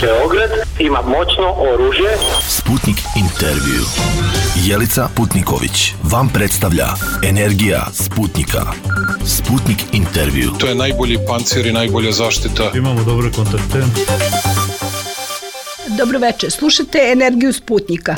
Beograd ima moćno oružje. Sputnik intervju. Jelica Putniković vam predstavlja Energija Sputnika. Sputnik intervju. To je najbolji pancir i najbolja zaštita. Imamo dobre kontakte. Dobro večer, slušate Energiju Sputnika.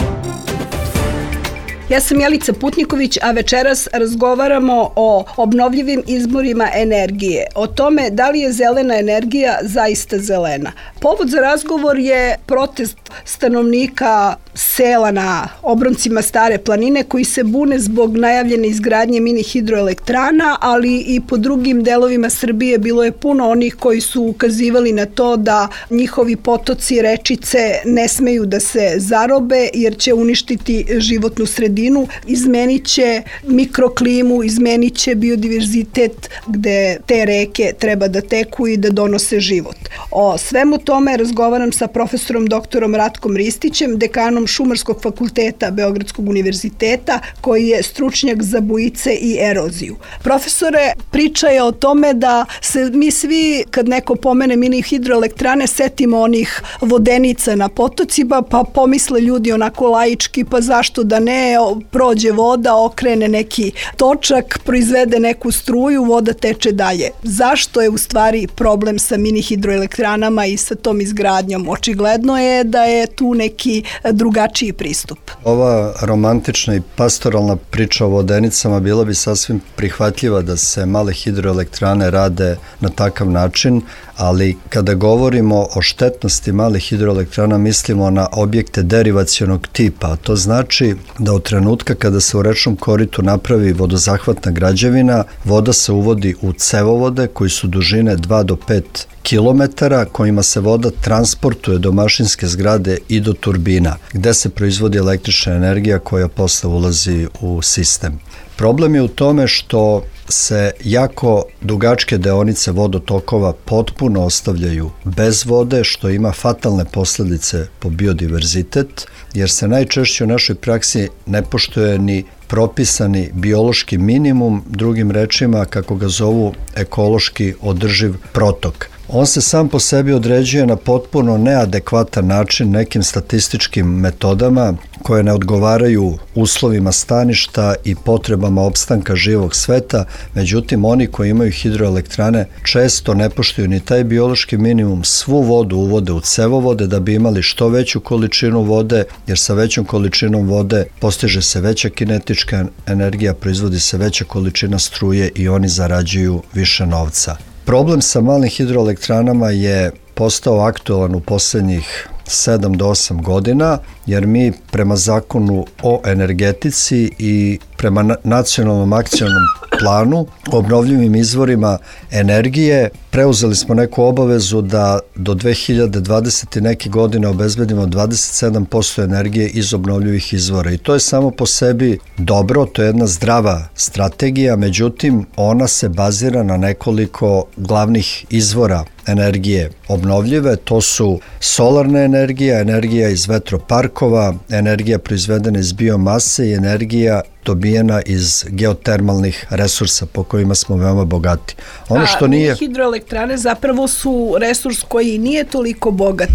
Ja sam Jelica Putniković, a večeras razgovaramo o obnovljivim izvorima energije, o tome da li je zelena energija zaista zelena. Povod za razgovor je protest stanovnika sela na obroncima Stare planine koji se bune zbog najavljene izgradnje mini hidroelektrana, ali i po drugim delovima Srbije bilo je puno onih koji su ukazivali na to da njihovi potoci, rečice ne smeju da se zarobe jer će uništiti životnu sredinu, izmenit će mikroklimu, izmenit će biodiverzitet gde te reke treba da teku i da donose život. O svemu tome razgovaram sa profesorom doktorom Ratkom Ristićem, dekanom Šumarskog fakulteta Beogradskog univerziteta, koji je stručnjak za bujice i eroziju. Profesore, priča je o tome da se mi svi, kad neko pomene mini hidroelektrane, setimo onih vodenica na potocima, pa pomisle ljudi onako laički, pa zašto da ne, prođe voda, okrene neki točak, proizvede neku struju, voda teče dalje. Zašto je u stvari problem sa mini hidroelektranama i sa tom izgradnjom? Očigledno je da je tu neki drugačiji pristup. Ova romantična i pastoralna priča o vodenicama bila bi sasvim prihvatljiva da se male hidroelektrane rade na takav način, ali kada govorimo o štetnosti malih hidroelektrana mislimo na objekte derivacionog tipa, a to znači da od trenutka kada se u rečnom koritu napravi vodozahvatna građevina, voda se uvodi u cevovode koji su dužine 2 do 5 kilometara kojima se voda transportuje do mašinske zgrade i do turbina, gde se proizvodi električna energija koja posle ulazi u sistem. Problem je u tome što se jako dugačke deonice vodotokova potpuno ostavljaju bez vode, što ima fatalne posledice po biodiverzitet, jer se najčešće u našoj praksi ne poštuje ni propisani biološki minimum, drugim rečima kako ga zovu ekološki održiv protok. On se sam po sebi određuje na potpuno neadekvatan način nekim statističkim metodama koje ne odgovaraju uslovima staništa i potrebama opstanka živog sveta, međutim oni koji imaju hidroelektrane često ne poštuju ni taj biološki minimum, svu vodu uvode u cevovode da bi imali što veću količinu vode, jer sa većom količinom vode postiže se veća kinetička energija, proizvodi se veća količina struje i oni zarađuju više novca. Problem sa malim hidroelektranama je postao aktualan u poslednjih 7 do 8 godina, jer mi prema zakonu o energetici i prema nacionalnom akcionom planu o obnovljivim izvorima energije preuzeli smo neku obavezu da do 2020. neke godine obezbedimo 27% energije iz obnovljivih izvora i to je samo po sebi dobro, to je jedna zdrava strategija, međutim ona se bazira na nekoliko glavnih izvora energije obnovljive, to su solarna energija, energija iz vetroparkova, energija proizvedena iz biomase i energija dobijena iz geotermalnih resursa po kojima smo veoma bogati. Ono što nije... Hidroelektrane zapravo su resurs koji nije toliko bogat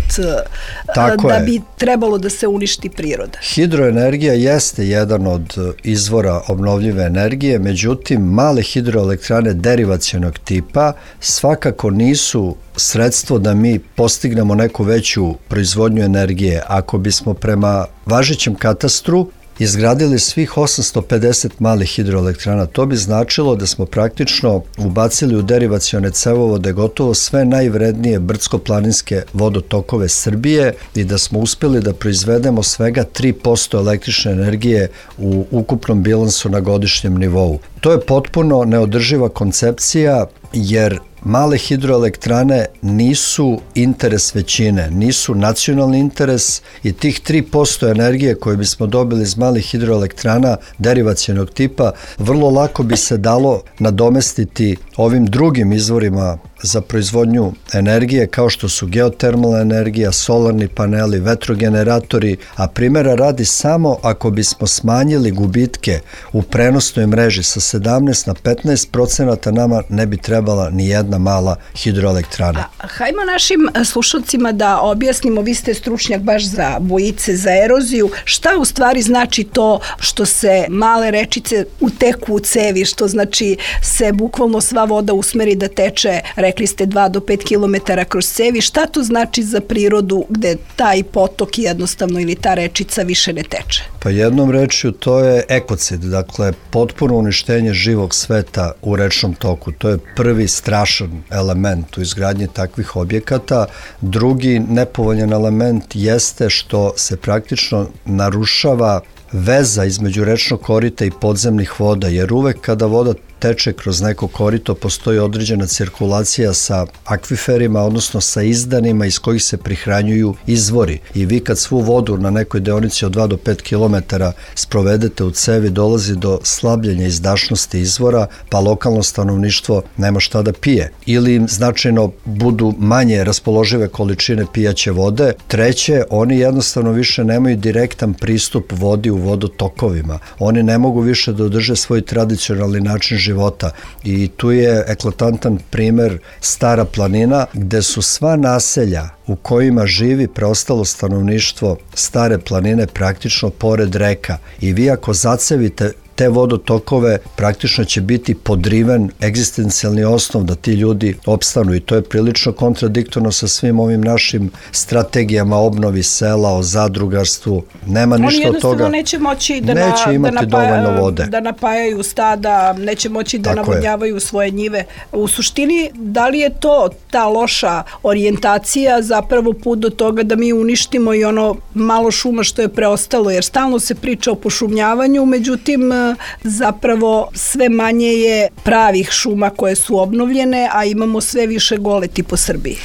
da bi trebalo da se uništi priroda. Hidroenergija jeste jedan od izvora obnovljive energije, međutim male hidroelektrane derivacionog tipa svakako nisu sredstvo da mi postignemo neku veću proizvodnju energije. Ako bismo prema važećem katastru izgradili svih 850 malih hidroelektrana, to bi značilo da smo praktično ubacili u derivacione cevovode gotovo sve najvrednije brdsko-planinske vodotokove Srbije i da smo uspeli da proizvedemo svega 3% električne energije u ukupnom bilansu na godišnjem nivou. To je potpuno neodrživa koncepcija jer male hidroelektrane nisu interes većine, nisu nacionalni interes i tih 3% energije koje bismo dobili iz malih hidroelektrana derivacionog tipa vrlo lako bi se dalo nadomestiti ovim drugim izvorima za proizvodnju energije kao što su geotermalna energija, solarni paneli, vetrogeneratori, a primjera radi samo ako bismo smanjili gubitke u prenosnoj mreži sa 17 na 15%, nama ne bi trebala ni jedna mala hidroelektrana. Hajmo našim slušalcima da objasnimo, vi ste stručnjak baš za bujice, za eroziju, šta u stvari znači to što se male rečice uteku u cevi, što znači se bukvalno sva voda usmeri da teče, rekli ste 2 do 5 km kroz cevi, šta to znači za prirodu gde taj potok jednostavno ili ta rečica više ne teče? Pa jednom rečju to je ekocid, dakle potpuno uništenje živog sveta u rečnom toku. To je prvi strašan element u izgradnji takvih objekata. Drugi nepovoljan element jeste što se praktično narušava veza između rečnog korita i podzemnih voda, jer uvek kada voda teče kroz neko korito postoji određena cirkulacija sa akviferima, odnosno sa izdanima iz kojih se prihranjuju izvori. I vi kad svu vodu na nekoj deonici od 2 do 5 km sprovedete u cevi, dolazi do slabljenja izdašnosti izvora, pa lokalno stanovništvo nema šta da pije. Ili im značajno budu manje raspoložive količine pijaće vode. Treće, oni jednostavno više nemaju direktan pristup vodi u vodotokovima. Oni ne mogu više da održe svoj tradicionalni način života. I tu je eklatantan primer Stara planina, gde su sva naselja u kojima živi preostalo stanovništvo Stare planine praktično pored reka. I vi ako zacevite te vodotokove, praktično će biti podriven egzistencijalni osnov da ti ljudi opstanu i to je prilično kontradiktorno sa svim ovim našim strategijama obnovi sela, o zadrugarstvu. Nema ništa od toga. Oni jednostavno neće moći da napajaju stada, neće moći da navodnjavaju svoje njive. U suštini, da li je to ta loša orijentacija zapravo put do toga da mi uništimo i ono malo šuma što je preostalo, jer stalno se priča o pošumljavanju, međutim zapravo sve manje je pravih šuma koje su obnovljene, a imamo sve više goleti po Srbiji.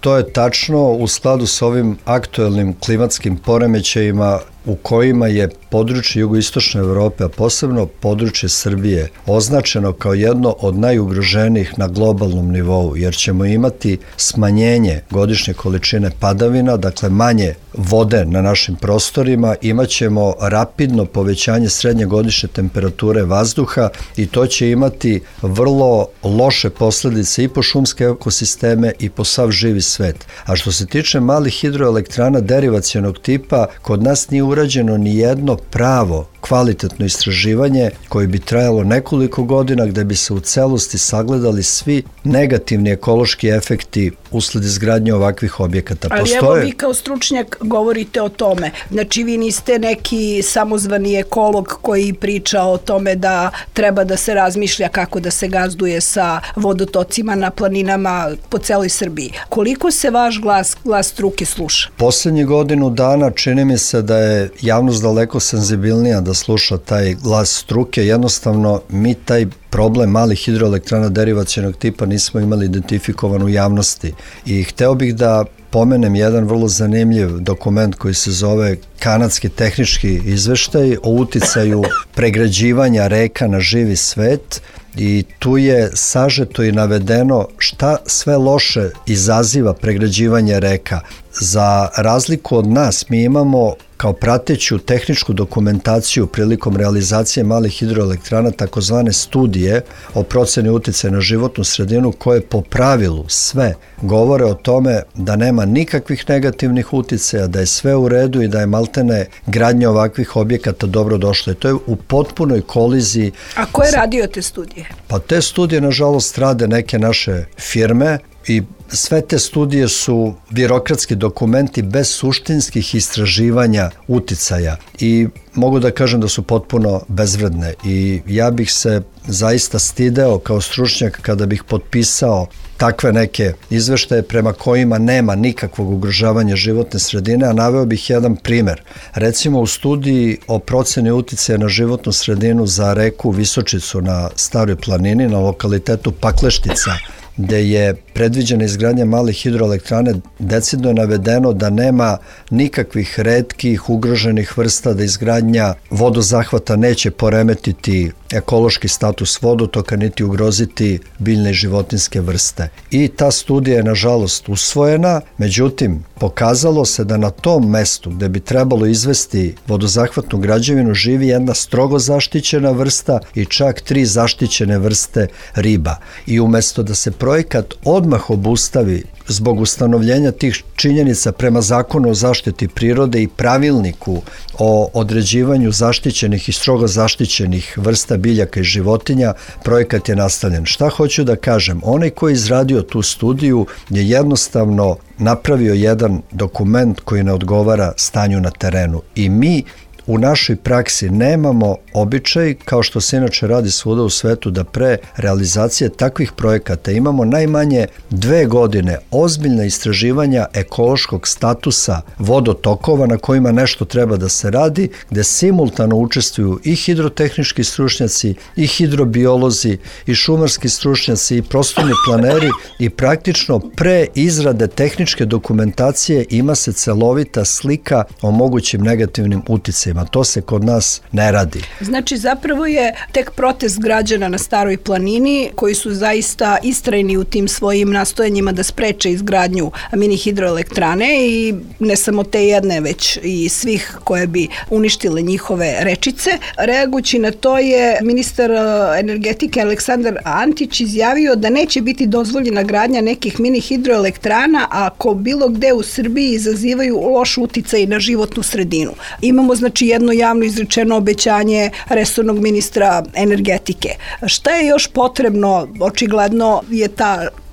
To je tačno u skladu sa ovim aktuelnim klimatskim poremećajima u kojima je područje jugoistočne Evrope, a posebno područje Srbije, označeno kao jedno od najugroženijih na globalnom nivou, jer ćemo imati smanjenje godišnje količine padavina, dakle manje vode na našim prostorima, imat ćemo rapidno povećanje srednje godišnje temperature vazduha i to će imati vrlo loše posledice i po šumske ekosisteme i po sav živi svet. A što se tiče malih hidroelektrana derivacionog tipa, kod nas nije urađeno ni jedno pravo kvalitetno istraživanje koje bi trajalo nekoliko godina gde bi se u celosti sagledali svi negativni ekološki efekti usled izgradnje ovakvih objekata. Ali evo vi kao stručnjak govorite o tome. Znači vi niste neki samozvani ekolog koji priča o tome da treba da se razmišlja kako da se gazduje sa vodotocima na planinama po celoj Srbiji. Koliko se vaš glas struke sluša? Poslednjih godinu dana čini mi se da je javnost daleko senzibilnija da sluša taj glas struke. Jednostavno mi taj problem malih hidroelektrana derivacionog tipa nismo imali identifikovan u javnosti. I hteo bih da pomenem jedan vrlo zanimljiv dokument koji se zove Kanadski tehnički izveštaj o uticaju pregrađivanja reka na živi svet i tu je sažeto i navedeno šta sve loše izaziva pregrađivanje reka. Za razliku od nas, mi imamo kao prateću tehničku dokumentaciju prilikom realizacije malih hidroelektrana takozvane studije o proceni uticaja na životnu sredinu koje po pravilu sve govore o tome da nema nikakvih negativnih uticaja, da je sve u redu i da je maltene gradnja ovakvih objekata dobro došla. I to je u potpunoj koliziji. A ko je radio te studije? Pa te studije, nažalost, rade neke naše firme i sve te studije su birokratski dokumenti bez suštinskih istraživanja uticaja i mogu da kažem da su potpuno bezvredne i ja bih se zaista stideo kao stručnjak kada bih potpisao takve neke izveštaje prema kojima nema nikakvog ugrožavanja životne sredine, a naveo bih jedan primer. Recimo u studiji o proceni uticaja na životnu sredinu za reku Visočicu na Staroj planini, na lokalitetu Pakleštica, gde je predviđena izgradnja malih hidroelektrane, decidno je navedeno da nema nikakvih retkih ugroženih vrsta, da izgradnja vodozahvata neće poremetiti ekološki status vodotoka, niti ugroziti biljne i životinjske vrste. I ta studija je nažalost usvojena, međutim pokazalo se da na tom mestu gde bi trebalo izvesti vodozahvatnu građevinu živi jedna strogo zaštićena vrsta i čak 3 zaštićene vrste riba. I umesto da se projekat odmah obustavi zbog ustanovljenja tih činjenica prema Zakonu o zaštiti prirode i pravilniku o određivanju zaštićenih i strogo zaštićenih vrsta biljaka i životinja, projekat je nastavljen. Šta hoću da kažem? Onaj koji je izradio tu studiju je jednostavno napravio jedan dokument koji ne odgovara stanju na terenu. I mi u našoj praksi nemamo običaj, kao što se inače radi svuda u svetu, da pre realizacije takvih projekata imamo najmanje 2 godine ozbiljna istraživanja ekološkog statusa vodotokova na kojima nešto treba da se radi, gde simultano učestvuju i hidrotehnički stručnjaci, i hidrobiolozi, i šumarski stručnjaci, i prostorni planeri, i praktično pre izrade tehničke dokumentacije ima se celovita slika o mogućim negativnim uticajima. To se kod nas ne radi. Znači, zapravo je tek protest građana na Staroj planini koji su zaista istrajni u tim svojim nastojanjima da spreče izgradnju mini hidroelektrane i ne samo te jedne, već i svih koje bi uništile njihove rečice. Reagujući na to je ministar energetike Aleksandar Antić izjavio da neće biti dozvoljena gradnja nekih mini hidroelektrana ako bilo gde u Srbiji izazivaju loš uticaj na životnu sredinu. Imamo znači jedno javno izrečeno obećanje resornog ministra energetike. Šta je još potrebno? Očigledno je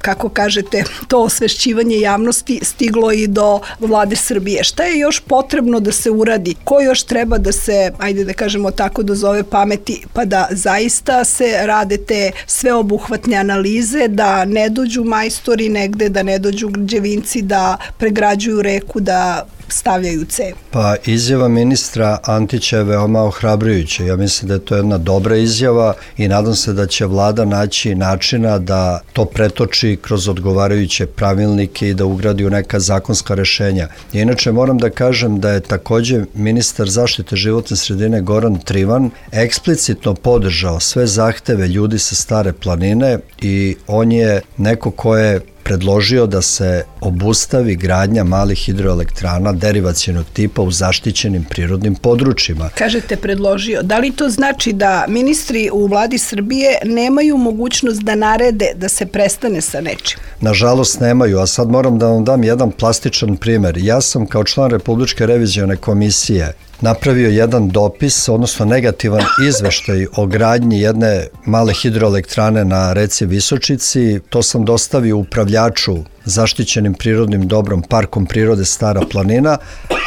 kako kažete, to osvešćivanje javnosti stiglo i do vlade Srbije. Šta je još potrebno da se uradi? Ko još treba da se, ajde da kažemo tako, dozove pameti, pa da zaista se rade te sveobuhvatne analize, da ne dođu majstori negde, da ne dođu građevinci da pregrađuju reku, da stavljaju cev? Pa izjava ministra Antića je veoma ohrabrujuća. Ja mislim da je to jedna dobra izjava i nadam se da će vlada naći načina da to pretoči kroz odgovarajuće pravilnike i da ugradi u neka zakonska rešenja. Inače moram da kažem da je takođe ministar zaštite životne sredine Goran Trivan eksplicitno podržao sve zahteve ljudi sa Stare planine i on je neko ko je predložio da se obustavi gradnja malih hidroelektrana derivacionog tipa u zaštićenim prirodnim područjima. Kažete predložio. Da li to znači da ministri u vladi Srbije nemaju mogućnost da narede da se prestane sa nečim? Nažalost nemaju, a sad moram da vam dam jedan plastičan primer. Ja sam kao član Republičke revizione komisije napravio jedan dopis, odnosno negativan izveštaj o gradnji jedne male hidroelektrane na reci Visočici. To sam dostavio upravljaču zaštićenim prirodnim dobrom Parkom prirode Stara planina,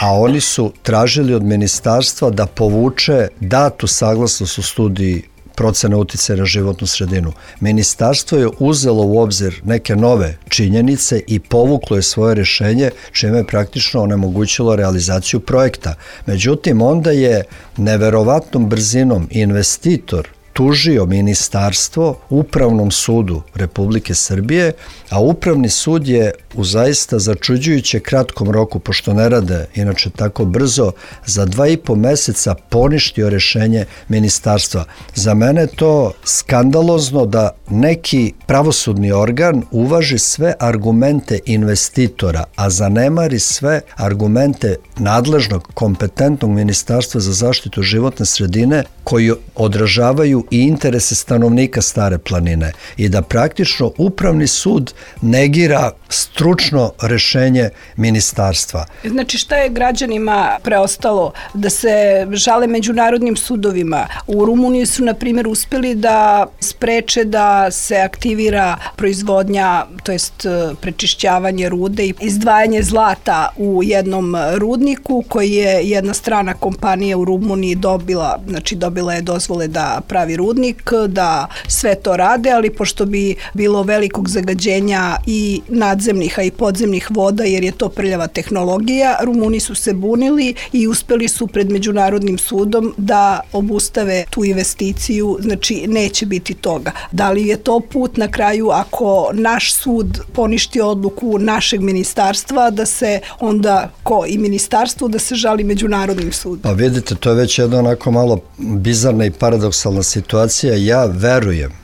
a oni su tražili od ministarstva da povuče datu saglasnost u studiji procena uticaja na životnu sredinu. Ministarstvo je uzelo u obzir neke nove činjenice i povuklo je svoje rešenje, čime je praktično onemogućilo realizaciju projekta. Međutim, onda je neverovatnom brzinom investitor tužio ministarstvo Upravnom sudu Republike Srbije, a Upravni sud je u zaista začuđujuće kratkom roku, pošto ne rade inače tako brzo, za 2,5 meseca poništio rešenje ministarstva. Za mene je to skandalozno da neki pravosudni organ uvaži sve argumente investitora, a zanemari sve argumente nadležnog kompetentnog ministarstva za zaštitu životne sredine koji odražavaju i interese stanovnika Stare planine i da praktično Upravni sud negira stručno rešenje ministarstva. Znači šta je građanima preostalo? Da se žale međunarodnim sudovima. U Rumuniji su, na primjer, uspeli da spreče da se aktivira proizvodnja, to jest prečišćavanje rude i izdvajanje zlata u jednom rudniku koji je jedna strana kompanija u Rumuniji dobila je dozvole da pravi rudnik, da sve to rade, ali pošto bi bilo velikog zagađenja i nadzemnih, a i podzemnih voda, jer je to prljava tehnologija, Rumuni su se bunili i uspeli su pred Međunarodnim sudom da obustave tu investiciju, znači neće biti toga. Da li je to put na kraju, ako naš sud poništi odluku našeg ministarstva, da se onda, i ministarstvo, da se žali Međunarodnim sudom? Pa vidite, to je već jedna onako malo bizarna i paradoksalna situacija. situacija.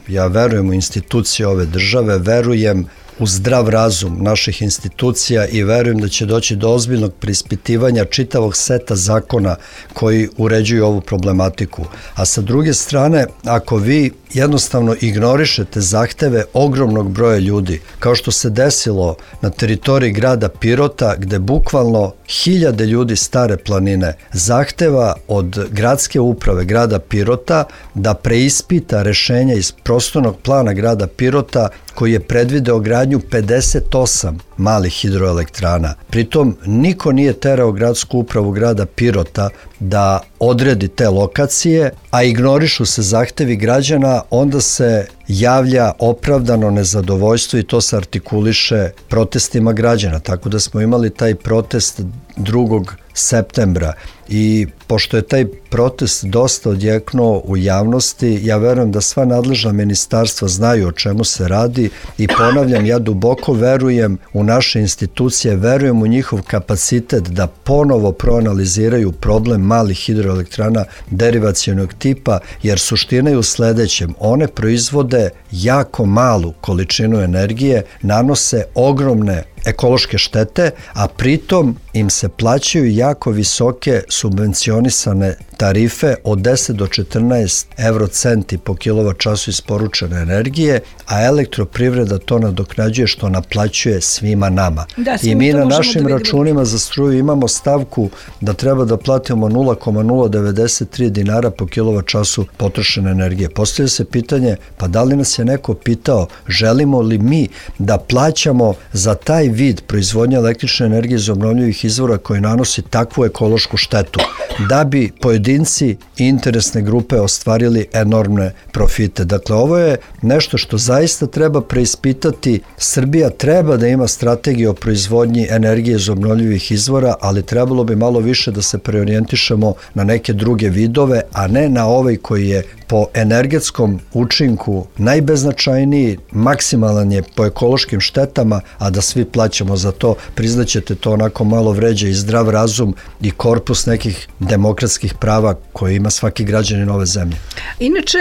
Ja verujem u institucije ove države, verujem u zdrav razum naših institucija i verujem da će doći do ozbiljnog preispitivanja čitavog seta zakona koji uređuju ovu problematiku. A sa druge strane, ako vi jednostavno ignorišete zahteve ogromnog broja ljudi, kao što se desilo na teritoriji grada Pirota, gde bukvalno hiljade ljudi Stare planine zahteva od gradske uprave grada Pirota da preispita rešenja iz prostornog plana grada Pirota koji je predvideo gradnju 58 malih hidroelektrana. Pritom niko nije terao gradsku upravu grada Pirota da odredi te lokacije, a ignorišu se zahtevi građana, onda se javlja opravdano nezadovoljstvo i to se artikuliše protestima građana. Tako da smo imali taj protest 2. septembra i pošto je taj protest dosta odjeknuo u javnosti, ja verujem da sva nadležna ministarstva znaju o čemu se radi i ponavljam, ja duboko verujem u naše institucije, verujem u njihov kapacitet da ponovo proanaliziraju problem malih hidroelektrana derivacionog tipa, jer suština je u sledećem: one proizvode jako malu količinu energije, nanose ogromne ekološke štete, a pritom im se plaćaju jako visoke subvencionisane tarife od 10 do 14 eurocenti po kilovat-času isporučene energije, a elektroprivreda to nadoknađuje što naplaćuje svima nama. I mi na našim računima za struju imamo stavku da treba da platimo 0,093 dinara po kilovat-času potrošene energije. Postavlja se pitanje, pa da li nas je neko pitao želimo li mi da plaćamo za taj vid proizvodnje električne energije iz obnovljivih izvora koji nanosi takvu ekološku štetu, da bi pojedinci i interesne grupe ostvarili enormne profite. Dakle, ovo je nešto što zaista treba preispitati. Srbija treba da ima strategiju o proizvodnji energije iz obnovljivih izvora, ali trebalo bi malo više da se preorijentišemo na neke druge vidove, a ne na ovaj koji je po energetskom učinku najbeznačajniji, maksimalan je po ekološkim štetama, a da svi plaćamo za to. Priznaćete, to onako malo vređa i zdrav razum i korpus nekih demokratskih prava koje ima svaki građanin ove zemlje. Inače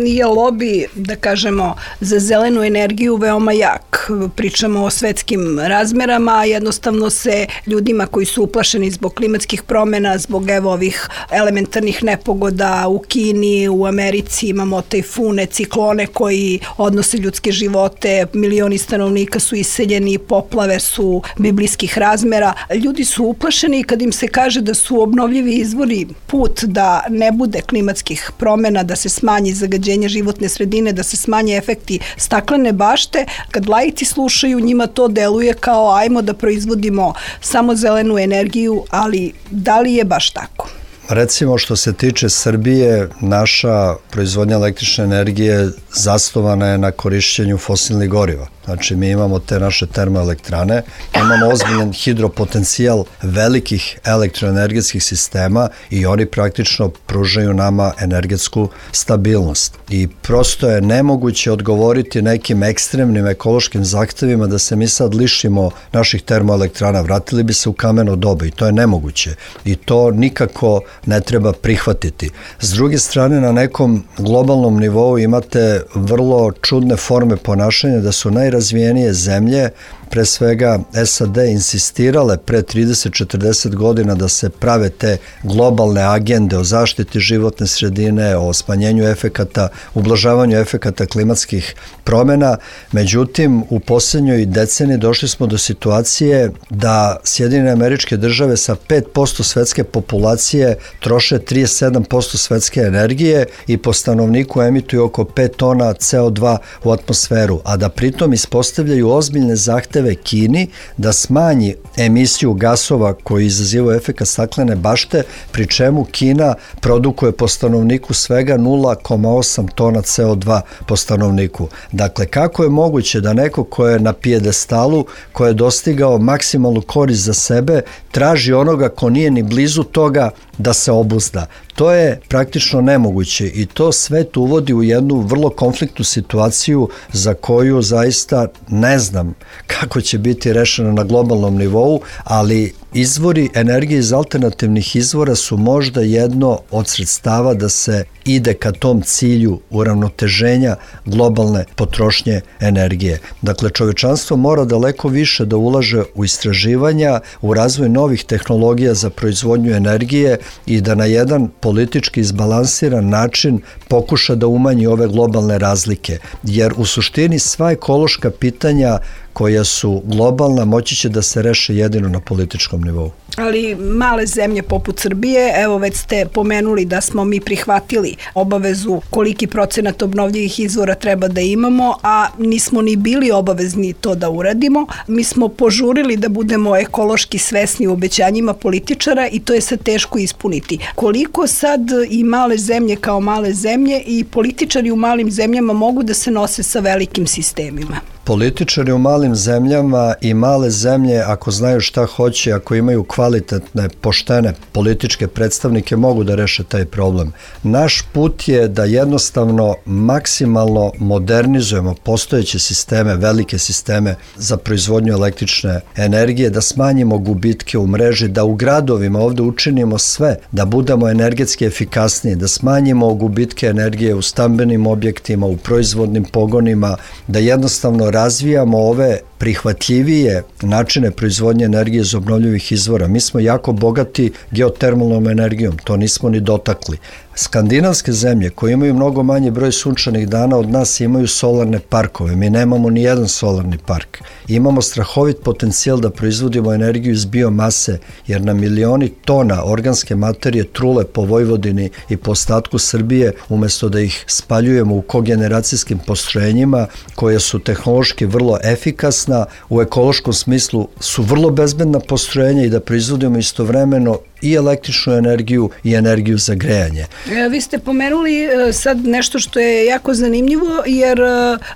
je lobi, da kažemo, za zelenu energiju veoma jak. Pričamo o svetskim razmerama, jednostavno se ljudima koji su uplašeni zbog klimatskih promjena, zbog ovih elementarnih nepogoda u Kini, u Americi, imamo tajfune, ciklone koji odnose ljudske živote, milioni stanovnika su iseljeni, poplave su biblijskih razmera. Ljudi su uplašeni kad im se kaže da su obnovljivi izvori put da ne bude klimatskih promjena, da se smanji zagađenje životne sredine, da se smanje efekti staklene bašte. Kad laici slušaju, njima to deluje kao ajmo da proizvodimo samo zelenu energiju, ali da li je baš tako? Recimo, što se tiče Srbije, naša proizvodnja električne energije zasnovana je na korišćenju fosilnih goriva. Znači, mi imamo te naše termoelektrane, imamo ozbiljan hidropotencijal velikih elektroenergetskih sistema i oni praktično pružaju nama energetsku stabilnost. I prosto je nemoguće odgovoriti nekim ekstremnim ekološkim zahtevima da se mi sad lišimo naših termoelektrana. Vratili bi se u kameno doba i to je nemoguće. I to nikako ne treba prihvatiti. S druge strane, na nekom globalnom nivou imate vrlo čudne forme ponašanja da su najrazvijenije zemlje, pre svega SAD, insistirale pre 30-40 godina da se prave te globalne agende o zaštiti životne sredine, o smanjenju efekata, ublažavanju efekata klimatskih promjena. Međutim, u posljednjoj deceniji došli smo do situacije da Sjedinjene Američke Države sa 5% svetske populacije troše 37% svetske energije i po stanovniku emituju oko 5 tona CO2 u atmosferu, a da pritom ispostavljaju ozbiljne zahteve Kini da smanji emisiju gasova koji izazivaju efekat staklene bašte, pri čemu Kina produkuje po stanovniku svega 0,8 tona CO2 po stanovniku. Dakle, kako je moguće da neko ko je na pijedestalu, ko je dostigao maksimalnu korist za sebe, traži onoga ko nije ni blizu toga da se obuzda? To je praktično nemoguće i to svet uvodi u jednu vrlo konfliktnu situaciju za koju zaista ne znam kako će biti rešeno na globalnom nivou, ali izvori energije iz alternativnih izvora su možda jedno od sredstava da se ide ka tom cilju uravnoteženja globalne potrošnje energije. Dakle, čovečanstvo mora daleko više da ulaže u istraživanja, u razvoj novih tehnologija za proizvodnju energije i da na jedan politički izbalansiran način pokuša da umanji ove globalne razlike. Jer u suštini sva ekološka pitanja koja su globalna moći će da se reše jedino na političkom nivou. Ali male zemlje poput Srbije, evo već ste pomenuli da smo mi prihvatili obavezu koliki procenat obnovljivih izvora treba da imamo, a nismo ni bili obavezni to da uradimo. Mi smo požurili da budemo ekološki svesni u obećanjima političara i to je sad teško ispuniti. Koliko sad i male zemlje kao male zemlje i političari u malim zemljama mogu da se nose sa velikim sistemima? Političari u malim zemljama i male zemlje, ako znaju šta hoće, ako imaju kvalitetne, poštene političke predstavnike, mogu da reše taj problem. Naš put je da jednostavno maksimalno modernizujemo postojeće sisteme, velike sisteme za proizvodnju električne energije, da smanjimo gubitke u mreži, da u gradovima ovde učinimo sve, da budemo energetski efikasniji, da smanjimo gubitke energije u stambenim objektima, u proizvodnim pogonima, da jednostavno razvijamo ove prihvatljivije načine proizvodnje energije iz obnovljivih izvora. Mi smo jako bogati geotermalnom energijom, to nismo ni dotakli. Skandinavske zemlje koje imaju mnogo manje broj sunčanih dana od nas imaju solarne parkove. Mi nemamo ni jedan solarni park. Imamo strahovit potencijal da proizvodimo energiju iz biomase, jer na milioni tona organske materije trule po Vojvodini i po ostatku Srbije, umesto da ih spaljujemo u kogeneracijskim postrojenjima koje su tehnološki vrlo efikasna, u ekološkom smislu su vrlo bezbedna postrojenja i da proizvodimo istovremeno i električnu energiju i energiju za grejanje. Vi ste pomenuli sad nešto što je jako zanimljivo, jer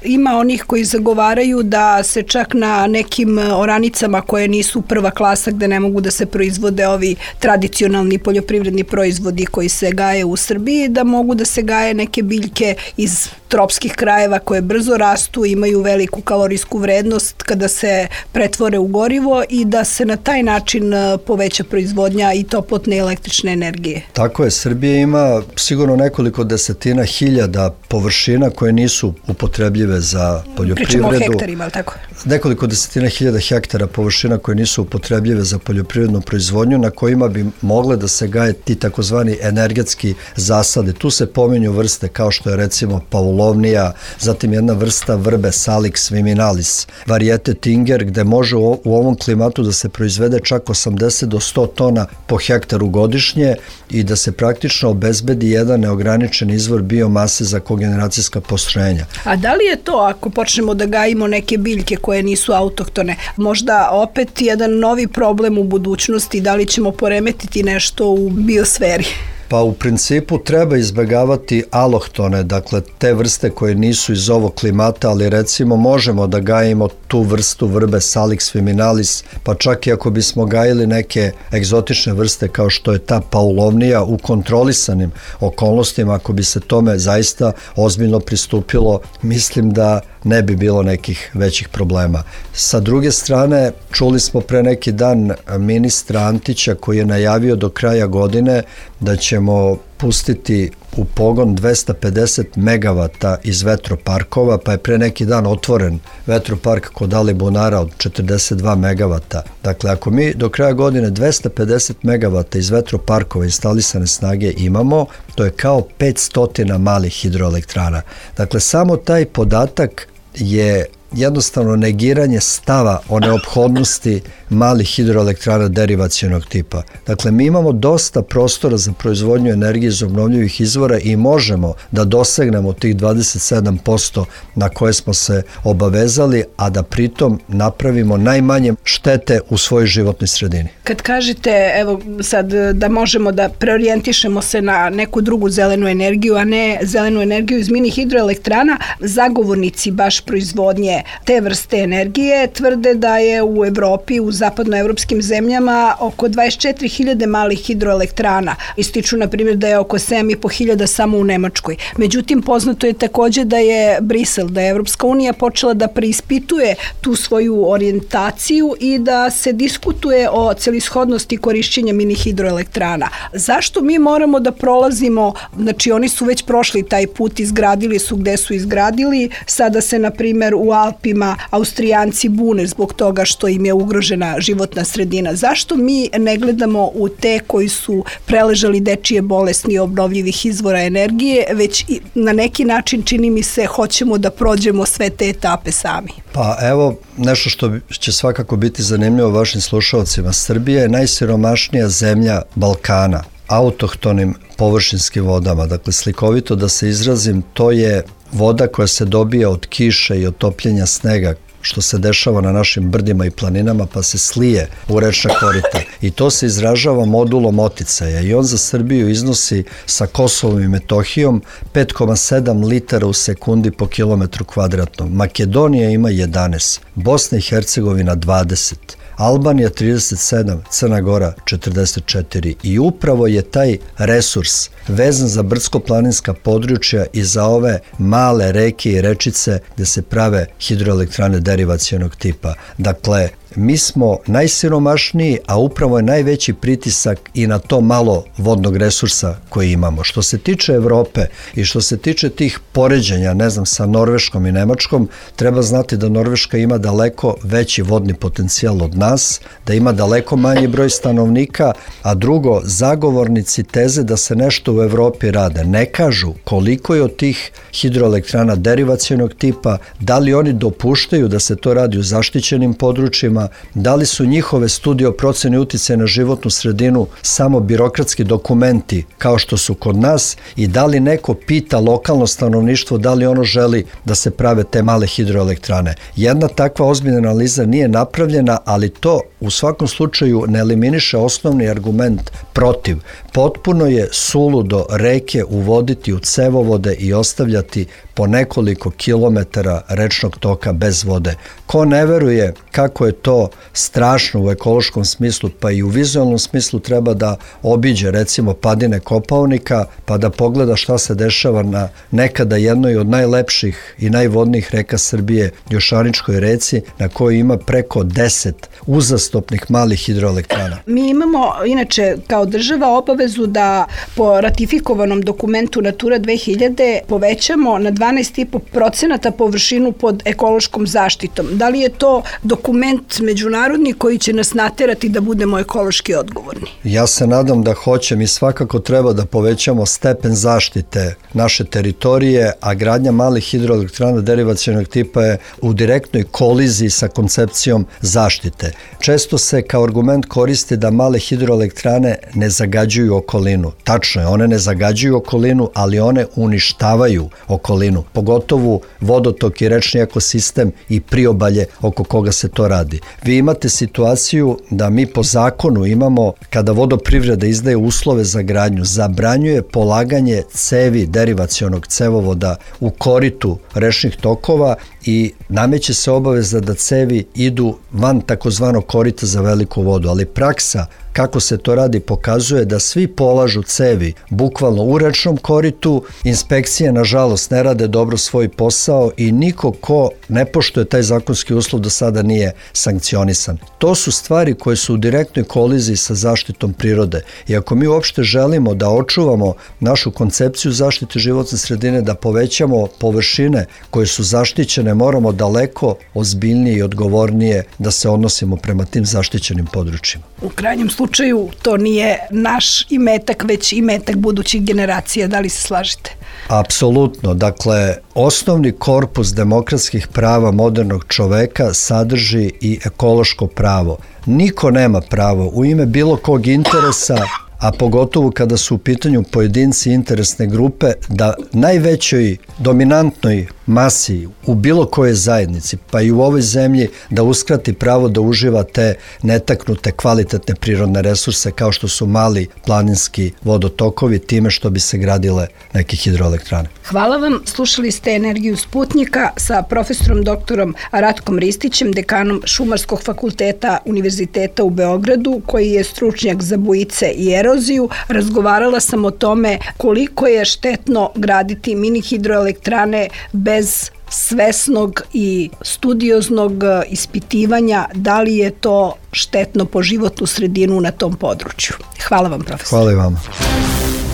ima onih koji zagovaraju da se čak na nekim oranicama koje nisu prva klasa, gde ne mogu da se proizvode ovi tradicionalni poljoprivredni proizvodi koji se gaje u Srbiji, da mogu da se gaje neke biljke iz tropskih krajeva koje brzo rastu, imaju veliku kalorijsku vrednost kada se pretvore u gorivo i da se na taj način poveća proizvodnja i toplotne električne energije. Tako je, Srbija ima sigurno nekoliko desetina hiljada površina koje nisu upotrebljive za poljoprivredu. Pričamo o hektarima, ali tako? Nekoliko desetina hiljada hektara površina koje nisu upotrebljive za poljoprivrednu proizvodnju, na kojima bi mogle da se gaje ti takozvani energetski zasade. Tu se pominju vrste kao što je recimo paulovnija, zatim jedna vrsta vrbe Salix viminalis, varijete Tinger, gde može u ovom klimatu da se proizvede čak 80 do 100 tona po hektaru godišnje i da se praktično obezbedi jedan neograničen izvor biomase za kogeneracijska postrojenja. A da li je to, ako počnemo da gajimo neke biljke koje nisu autohtone, možda opet jedan novi problem u budućnosti, da li ćemo poremetiti nešto u biosferi? Pa u principu treba izbegavati alohtone, dakle te vrste koje nisu iz ovog klimata, ali recimo možemo da gajimo tu vrstu vrbe Salix viminalis, pa čak i ako bismo gajili neke egzotične vrste kao što je ta paulovnija u kontrolisanim okolnostima, ako bi se tome zaista ozbiljno pristupilo, mislim da ne bi bilo nekih većih problema. Sa druge strane, čuli smo pre neki dan ministra Antića koji je najavio do kraja godine da ćemo pustiti u pogon 250 megavata iz vetroparkova, pa je pre neki dan otvoren vetropark kod Alibunara od 42 megavata. Dakle, ako mi do kraja godine 250 megavata iz vetroparkova instalisane snage imamo, to je kao 500 malih hidroelektrana. Dakle, samo taj podatak je jednostavno negiranje stava o neophodnosti malih hidroelektrana derivacionog tipa. Dakle, mi imamo dosta prostora za proizvodnju energije iz obnovljivih izvora i možemo da dosegnemo tih 27% na koje smo se obavezali, a da pritom napravimo najmanje štete u svojoj životnoj sredini. Kad kažete, evo sad, da možemo da preorijentišemo se na neku drugu zelenu energiju, a ne zelenu energiju iz mini hidroelektrana, zagovornici baš proizvodnje te vrste energije. Tvrde da je u Evropi, u zapadnoevropskim zemljama oko 24.000 malih hidroelektrana. Ističu, na primjer, da je oko 7.500 samo u Nemačkoj. Međutim, poznato je takođe da je Brisel, da je Evropska unija počela da preispituje tu svoju orijentaciju i da se diskutuje o celishodnosti korišćenja mini hidroelektrana. Zašto mi moramo da prolazimo, znači oni su već prošli taj put, izgradili su gde su izgradili, sada se na primjer u Alpima Austrijanci bune zbog toga što im je ugrožena životna sredina. Zašto mi ne gledamo u te koji su preležali dečije bolesni obnovljivih izvora energije, već na neki način, čini mi se, hoćemo da prođemo sve te etape sami? Pa evo, nešto što će svakako biti zanimljivo vašim slušalcima. Srbija je najsiromašnija zemlja Balkana, autohtonim površinskim vodama. Dakle, slikovito da se izrazim, to je voda koja se dobija od kiše i od topljenja snega, što se dešava na našim brdima i planinama, pa se slije u rečna korita. I to se izražava modulom oticaja i on za Srbiju iznosi sa Kosovom i Metohijom 5,7 litara u sekundi po kilometru kvadratnom. Makedonija ima 11, Bosna i Hercegovina 20, Albanija 37, Crna Gora 44 i upravo je taj resurs vezan za brdsko-planinska područja i za ove male reke i rečice gde se prave hidroelektrane derivacionog tipa. Dakle, mi smo najsiromašniji, a upravo je najveći pritisak i na to malo vodnog resursa koji imamo. Što se tiče Evrope i što se tiče tih poređenja, ne znam, sa Norveškom i Nemačkom, treba znati da Norveška ima daleko veći vodni potencijal od nas, da ima daleko manji broj stanovnika, a drugo, zagovornici teze da se nešto u Evropi rade ne kažu koliko je od tih hidroelektrana derivacionog tipa, da li oni dopuštaju da se to radi u zaštićenim područjima, da li su njihove studije o proceni uticaja na životnu sredinu samo birokratski dokumenti kao što su kod nas i da li neko pita lokalno stanovništvo da li ono želi da se prave te male hidroelektrane. Jedna takva ozbiljna analiza nije napravljena, ali to u svakom slučaju ne eliminiše osnovni argument protiv. Potpuno je suludo reke uvoditi u cevovode i ostavljati po nekoliko kilometara rečnog toka bez vode. Ko ne veruje kako je to strašno u ekološkom smislu, pa i u vizualnom smislu, treba da obiđe recimo padine Kopaonika, pa da pogleda šta se dešava na nekada jednoj od najlepših i najvodnijih reka Srbije, Jošaničkoj reci, na kojoj ima preko 10 uzastopnih malih hidroelektrana. Mi imamo, inače, kao država obavezu da po ratifikovanom dokumentu Natura 2000 povećamo na 12,5% površinu pod ekološkom zaštitom. Da li je to dokument međunarodni koji će nas naterati da budemo ekološki odgovorni? Ja se nadam da hoće. Mi svakako treba da povećamo stepen zaštite naše teritorije, a gradnja malih hidroelektrana derivacionog tipa je u direktnoj koliziji sa koncepcijom zaštite. Često se kao argument koristi da male hidroelektrane ne zagađuju okolinu. Tačno je, one ne zagađuju okolinu, ali one uništavaju okolinu, pogotovo vodotok i rečni ekosistem i priobalje oko koga se to radi. Vi imate situaciju da mi po zakonu imamo, kada vodoprivreda izdaje uslove za gradnju, zabranjuje polaganje cevi derivacionog cevovoda u koritu rečnih tokova i nameće se obaveza da cevi idu van takozvanog korita za veliku vodu, ali praksa kako se to radi pokazuje da svi polažu cevi bukvalno u rečnom koritu, inspekcije nažalost ne rade dobro svoj posao i niko ko ne poštuje taj zakonski uslov do sada nije sankcionisan. To su stvari koje su u direktnoj koliziji sa zaštitom prirode i ako mi uopšte želimo da očuvamo našu koncepciju zaštite životne sredine, da povećamo površine koje su zaštićene, moramo daleko ozbiljnije i odgovornije da se odnosimo prema tim zaštićenim područjima. U krajnjem slučaju to nije naš imetak, već imetak budućih generacija. Da li se slažete? Apsolutno. Dakle, osnovni korpus demokratskih prava modernog čoveka sadrži i ekološko pravo. Niko nema pravo u ime bilo kog interesa, a pogotovo kada su u pitanju pojedinci interesne grupe, da najvećoj dominantnoj masi u bilo kojoj zajednici, pa i u ovoj zemlji, da uskrati pravo da uživa te netaknute kvalitetne prirodne resurse kao što su mali planinski vodotokovi, time što bi se gradile neke hidroelektrane. Hvala vam. Slušali ste Energiju Sputnjika sa profesorom doktorom Ratkom Ristićem, dekanom Šumarskog fakulteta Univerziteta u Beogradu, koji je stručnjak za bujice i eroziju. Razgovarala sam o tome koliko je štetno graditi mini hidroelektrane bez svesnog i studioznog ispitivanja da li je to štetno po životnu sredinu na tom području. Hvala vam, profesor. Hvala i vama.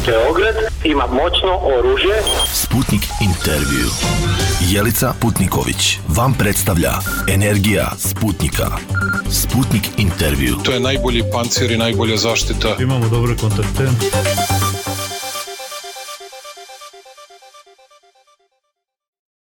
Beograd ima moćno oružje. Sputnik intervju. Jelica Putniković vam predstavlja Energija Sputnika. Sputnik intervju. To je najbolji pancir i najbolja zaštita. Imamo dobre kontakte.